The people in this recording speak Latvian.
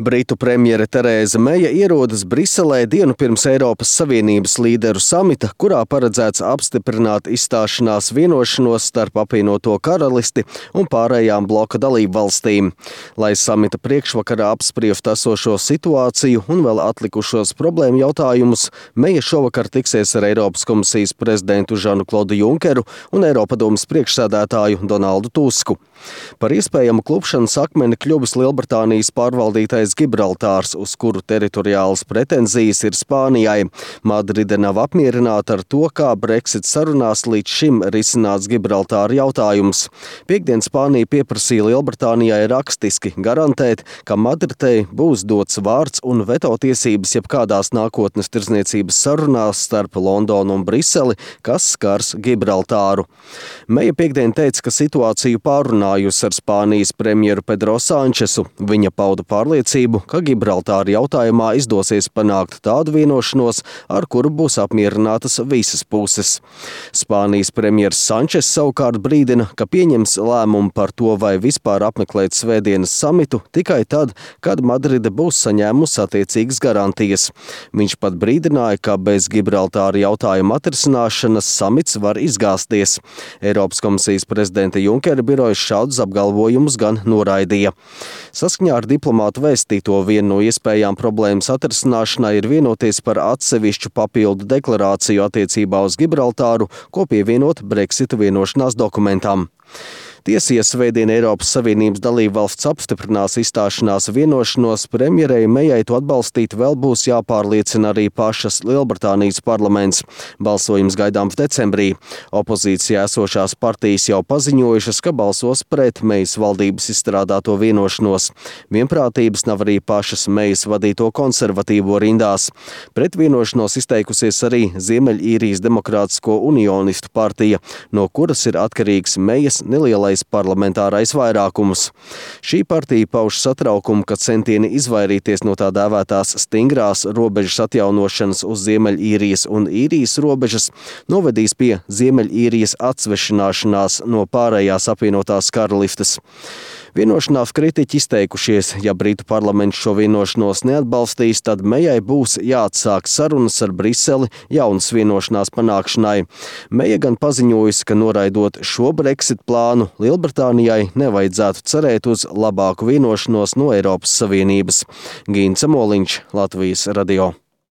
Britu premjere Terēza Meja ierodas Briselē dienu pirms Eiropas Savienības līderu samita, kurā paredzēts apstiprināt izstāšanās vienošanos starp apvienoto karalisti un pārējām bloka dalību valstīm. Lai samita priekšvakarā apspriestu esošo situāciju un vēl atlikušos problēmu jautājumus, Meja šovakar tiksies ar Eiropas komisijas prezidentu Žanu-Klodu Junkeru un Eiropadomes priekšsēdētāju Donaldu Tusku. Par iespējamu klupšanas akmeni kļuvis Lielbritānijas pārvaldītais Gibraltārs, uz kuru teritoriālas pretenzijas ir Spānijai. Madride nav apmierināta ar to, kā Brexit sarunās līdz šim risināts Gibraltāra jautājums. Piektdien Spānija pieprasīja Lielbritānijai rakstiski garantēt, ka Madridei būs dots vārds un veto tiesības jebkādās nākotnes tirdzniecības sarunās starp Londonu un Briseli, kas skars Gibraltāru. Meja piektdien teica, ka situāciju pārunājusi ar Spānijas premjeru Pedro Sančesu. Viņa pauda pārliecību, ka Gibraltāra jautājumā izdosies panākt tādu vienošanos, ar kuru būs apmierinātas visas puses. Spānijas premjers Sančes savukārt brīdina, ka pieņems lēmumu par to, vai vispār apmeklēt svētdienas samitu tikai tad, kad Madride būs saņēmusi attiecīgas garantijas. Viņš pat brīdināja, ka bez Gibraltāra jautājuma atrisināšanas samits var izgāzties. Eiropas komisijas prezidenta Junkera birojas šādus apgalvojumus gan noraidīja. Saskaņā ar diplomātu vēstīto viena no iespējām problēmas atrisināšanai ir vienoties par atsevišķu papildu deklarāciju attiecībā uz Gibraltāru, ko pievienot Brexita vienošanās dokumentam. Tiesa, ja svētdien Eiropas Savienības dalībvalsts apstiprinās izstāšanās vienošanos, premjerei Mejai to atbalstīt vēl būs jāpārliecina arī pašas Lielbritānijas parlaments. Balsojums gaidāms decembrī. Opozīcijā esošās partijas jau paziņojušas, ka balsos pret Mejas valdības izstrādāto vienošanos. Vienprātības nav arī pašas Mejas vadīto konservatīvo rindās. Pret vienošanos izteikusies arī Ziemeļīrijas Demokrātisko unionistu partija, no kuras ir atkarīgs Mejas nelielais parlamentārais vairākums. Šī partija pauž satraukumu, ka centieni izvairīties no tā dēvētās stingrās robežas atjaunošanas uz Ziemeļīrijas un Īrijas robežas novedīs pie Ziemeļīrijas atsvešināšanās no pārējās apvienotās karalistes. Vienošanās kritiķi izteikušies, ja Britu parlaments šo vienošanos neatbalstīs, tad Mejai būs jāatsāk sarunas ar Briseli jaunas vienošanās panākšanai. Meja gan paziņojusi, ka noraidot šo Brexit plānu, Lielbritānijai nevajadzētu cerēt uz labāku vienošanos no Eiropas Savienības. Gīns Amoliņš, Latvijas radio.